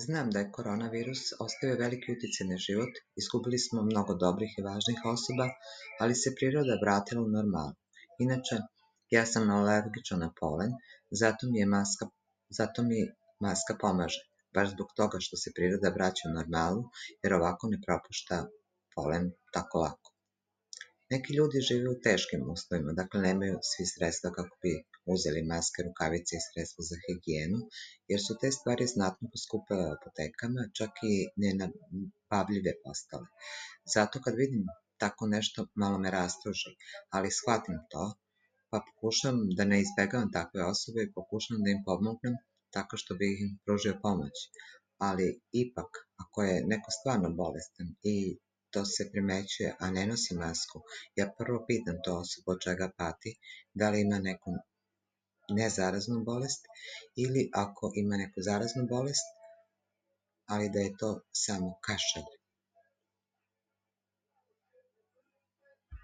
Znam da je koronavirus ostavio veliki uticaj na život, izgubili smo mnogo dobrih i važnih osoba, ali se priroda vratila u normalu. Inače, ja sam alergičan na polen, zato mi maska pomaže, baš zbog toga što se priroda vraća u normalu, jer ovako ne propušta polen tako lako. Neki ljudi žive u teškim uslovima, dakle nemaju svi sredstva kako bi uzeli maske, rukavice i sredstva za higijenu, jer su te stvari znatno poskupele u apotekama, čak i nenabavljive postale. Zato kad vidim tako nešto, malo me rastuži, ali shvatim to, pa pokušam da ne izbegavam takve osobe i pokušam da im pomognem tako što bih im pružio pomoć. Ali ipak, ako je neko stvarno bolestan i to se primećuje, a ne nosi masku, ja prvo pitam to osobu od čega pati, da li ima neku nezaraznu bolest ili ako ima neku zaraznu bolest, ali da je to samo kašalj